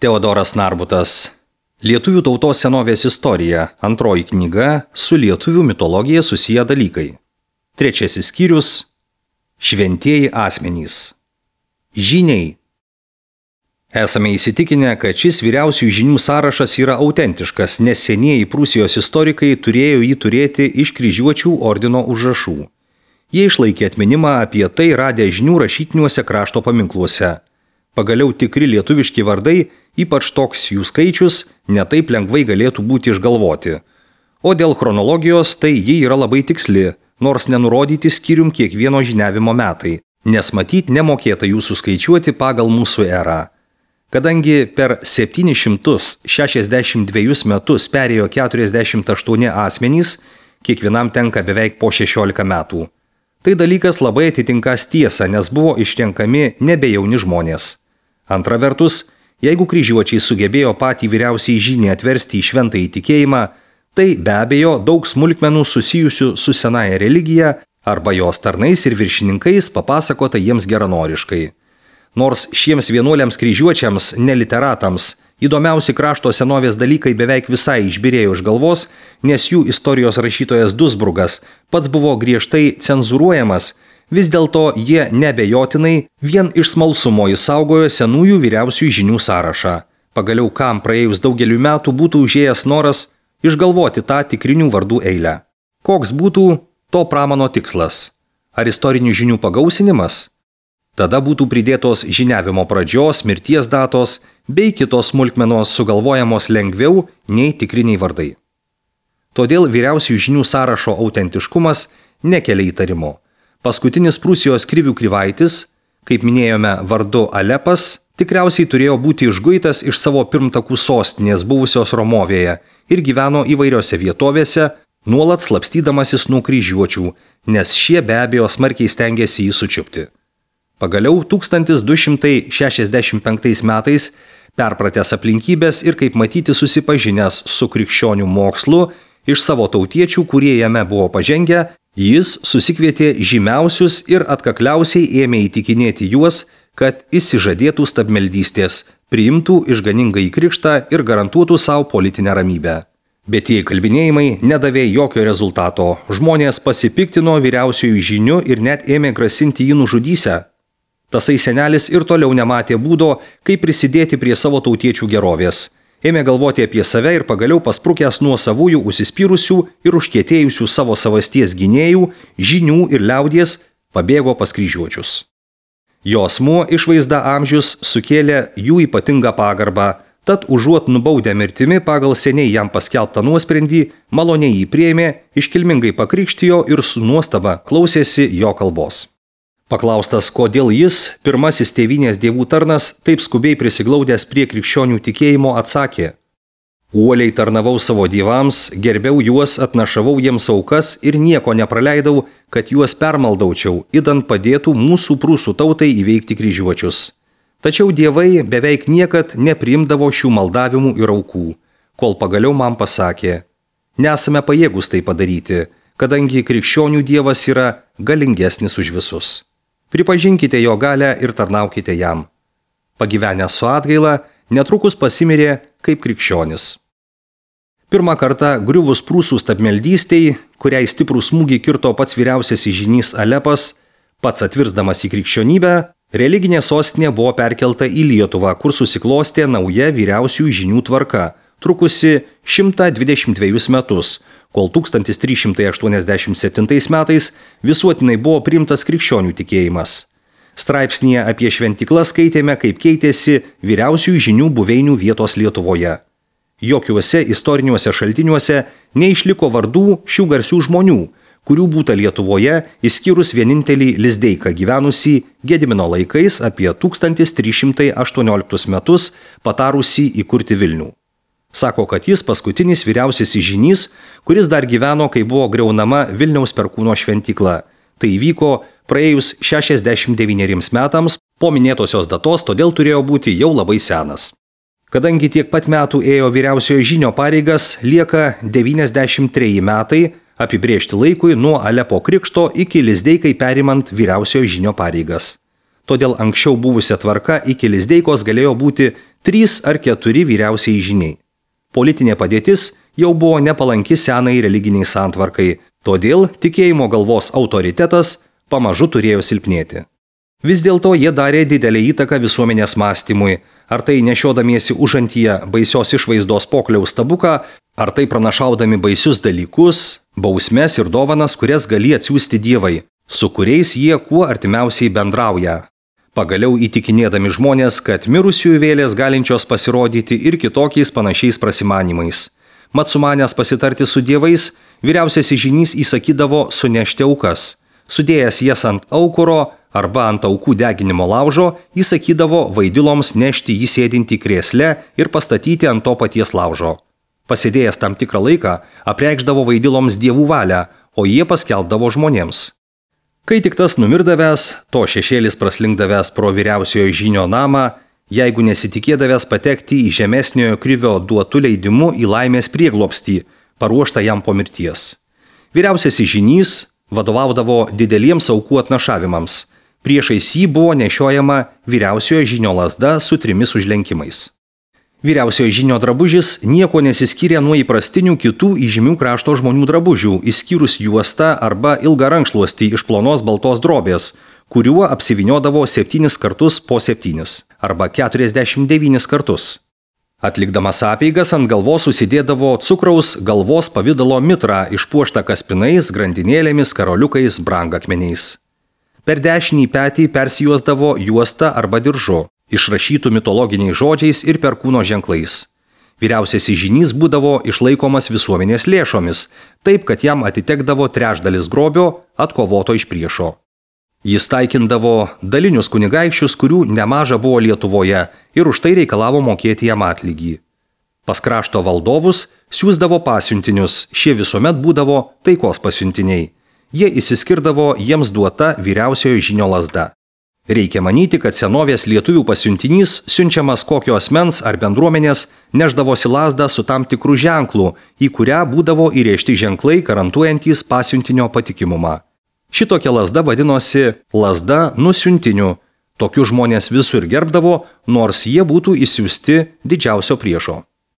Teodoras Narbutas. Lietuvių tautos senovės istorija. Antroji knyga su lietuvių mitologija susiję dalykai. Trečiasis skyrius. Šventieji asmenys. Žyniai. Esame įsitikinę, kad šis vyriausiųjų žynių sąrašas yra autentiškas, nes senieji Prūsijos istorikai turėjo jį turėti iš kryžiuočių ordino užrašų. Jie išlaikė atminimą apie tai radę žynių rašytiniuose krašto paminkluose. Pagaliau tikri lietuviški vardai, ypač toks jų skaičius, netaip lengvai galėtų būti išgalvoti. O dėl chronologijos, tai ji yra labai tiksli, nors nenurodyti skyrium kiekvieno žyniavimo metai, nes matyt nemokėta jų suskaičiuoti pagal mūsų erą. Kadangi per 762 metus perėjo 48 asmenys, kiekvienam tenka beveik po 16 metų. Tai dalykas labai atitinkas tiesą, nes buvo išrenkami nebejauni žmonės. Antra vertus, jeigu kryžiuočiai sugebėjo patį vyriausiai žynį atversti į šventąjį tikėjimą, tai be abejo daug smulkmenų susijusių su senaja religija arba jos tarnais ir viršininkais papasakota jiems geranoriškai. Nors šiems vienuoliams kryžiuočiams, neliteratams, įdomiausi krašto senovės dalykai beveik visai išbyrėjo iš galvos, nes jų istorijos rašytojas Dusburgas pats buvo griežtai cenzūruojamas, vis dėlto jie nebejotinai vien iš smalsumo išsaugojo senųjų vyriausiųjų žynių sąrašą. Pagaliau kam praėjus daugelių metų būtų užėjęs noras išgalvoti tą tikrinių vardų eilę. Koks būtų to pramano tikslas? Ar istorinių žynių pagausinimas? Tada būtų pridėtos žyniavimo pradžios, mirties datos bei kitos smulkmenos sugalvojamos lengviau nei tikriniai vardai. Todėl vyriausiųjų žynių sąrašo autentiškumas nekelia įtarimo. Paskutinis Prūsijos krivių Krivaitis, kaip minėjome vardu Alepas, tikriausiai turėjo būti išguitas iš savo pirmtakų sostinės buvusios Romovėje ir gyveno įvairiose vietovėse, nuolat slapstydamasis nuo kryžiuočių, nes šie be abejo smarkiai stengėsi jį sučiupti. Pagaliau 1265 metais, perpratęs aplinkybės ir kaip matyti susipažinęs su krikščionių mokslu iš savo tautiečių, kurie jame buvo pažengę, jis susikvietė žymiausius ir atkakliausiai ėmė įtikinėti juos, kad išsižadėtų stabmeldystės, priimtų išganingąjį krikštą ir garantuotų savo politinę ramybę. Bet tie kalbinėjimai nedavė jokio rezultato. Žmonės pasipiktino vyriausiųjų žynių ir net ėmė grasinti jį nužudysią. Tasai senelis ir toliau nematė būdo, kaip prisidėti prie savo tautiečių gerovės. Ėmė galvoti apie save ir pagaliau pasprukęs nuo savųjų užsispyrusių ir užkietėjusių savo savasties gynėjų, žynių ir liaudies, pabėgo pas kryžiuočius. Jo asmuo išvaizda amžius sukėlė jų ypatingą pagarbą, tad užuot nubaudę mirtimi pagal seniai jam paskelbtą nuosprendį, maloniai jį priėmė, iškilmingai pakrikštijo ir su nuostaba klausėsi jo kalbos. Paklaustas, kodėl jis, pirmasis tėvynės dievų tarnas, taip skubiai prisiglaudęs prie krikščionių tikėjimo, atsakė: uoliai tarnavau savo dievams, gerbiau juos, atnašavau jiems aukas ir nieko nepraleidau, kad juos permaldaučiau, idant padėtų mūsų prūsų tautai įveikti kryžiuočius. Tačiau dievai beveik niekad nepriimdavo šių maldavimų ir aukų, kol pagaliau man pasakė: nesame pajėgus tai padaryti, kadangi krikščionių dievas yra galingesnis už visus. Pripažinkite jo galę ir tarnaukite jam. Pagyvenęs su atgaila, netrukus pasimirė kaip krikščionis. Pirmą kartą griuvus prūsų stabmeldystei, kuriai stiprų smūgį kirto pats vyriausiasis žynys Alepas, pats atvirsdamas į krikščionybę, religinė sostinė buvo perkelta į Lietuvą, kur susiklostė nauja vyriausiųjų žynių tvarka, trukusi 122 metus, kol 1387 metais visuotinai buvo priimtas krikščionių tikėjimas. Straipsnyje apie šventiklas skaitėme, kaip keitėsi vyriausiųjų žynių buveinių vietos Lietuvoje. Jokiuose istoriniuose šaltiniuose neišliko vardų šių garsių žmonių, kurių būta Lietuvoje, išskyrus vienintelį Lizdeiką gyvenusį Gedimino laikais apie 1318 metus patarusį įkurti Vilnių. Sako, kad jis paskutinis vyriausiasis žynys, kuris dar gyveno, kai buvo griaunama Vilniaus Perkūno šventykla. Tai įvyko praėjus 69 metams po minėtosios datos, todėl turėjo būti jau labai senas. Kadangi tiek pat metų ėjo vyriausiojo žynio pareigas, lieka 93 metai apibrėžti laikui nuo Alepo krikšto iki Lizdeikai perimant vyriausiojo žynio pareigas. Todėl anksčiau buvusia tvarka iki Lizdeikos galėjo būti 3 ar 4 vyriausiai žyniai. Politinė padėtis jau buvo nepalanki senai religiniai santvarkai, todėl tikėjimo galvos autoritetas pamažu turėjo silpnėti. Vis dėlto jie darė didelę įtaką visuomenės mąstymui, ar tai nešiodamiesi užantyje baisios išvaizdos pokliaus stabuką, ar tai pranašaudami baisius dalykus, bausmes ir dovanas, kurias gali atsiųsti dievai, su kuriais jie kuo artimiausiai bendrauja. Pagaliau įtikinėdami žmonės, kad mirusiųjų vėlės galinčios pasirodyti ir kitokiais panašiais prasimanimais. Mat sumanęs pasitarti su dievais, vyriausiasis žynys įsakydavo sunešti aukas. Sudėjęs jas ant aukuro arba ant aukų deginimo laužo, įsakydavo vaidiloms nešti jį sėdinti krėsle ir pastatyti ant to paties laužo. Pasėdėjęs tam tikrą laiką, apreikšdavo vaidiloms dievų valią, o jie paskelbdavo žmonėms. Kai tik tas numirdavęs, to šešėlis praslinkdavęs pro vyriausiojo žynio namą, jeigu nesitikėdavęs patekti į žemesniojo krivio duotų leidimu į laimės prieglobstį, paruoštą jam po mirties. Vyriausiasis žynys vadovaudavo dideliems aukų atnašavimams. Priešais jį buvo nešiojama vyriausiojo žynio lazda su 3 užlenkimais. Vyriausiojo žynio drabužis nieko nesiskyrė nuo įprastinių kitų įžymių krašto žmonių drabužių, išskyrus juostą arba ilgą rankšluostį iš plonos baltos drobės, kuriuo apsivyniodavo 7 kartus po 7 arba 49 kartus. Atlikdamas apeigas ant galvos susidėdavo cukraus galvos pavydalo mitrą išpuoštą kaspinais, grandinėlėmis, karoliukais, brangakmeniais. Per dešinį petį persijuosdavo juostą arba diržu, išrašytų mitologiniais žodžiais ir perkūno ženklais. Vyriausiasis žynys būdavo išlaikomas visuomenės lėšomis, taip kad jam atitekdavo 3/4 grobio atkovoto iš priešo. Jis taikindavo dalinius kunigaikščius, kurių nemaža buvo Lietuvoje, ir už tai reikalavo mokėti jam atlygį. Pas krašto valdovus siųsdavo pasiuntinius, šie visuomet būdavo taikos pasiuntiniai. Jie išsiskirdavo jiems duota vyriausiojo žynio lazda. Reikia manyti, kad senovės lietuvių pasiuntinys, siunčiamas kokio asmens ar bendruomenės, neždavosi lazdą su tam tikrų ženklų, į kurią būdavo įrėžti ženklai garantuojantys pasiuntinio patikimumą. Šitokia lazda vadinosi lazda nusiuntiniu. Tokius žmonės visur gerbdavo, nors jie būtų išsiųsti didžiausio priešo.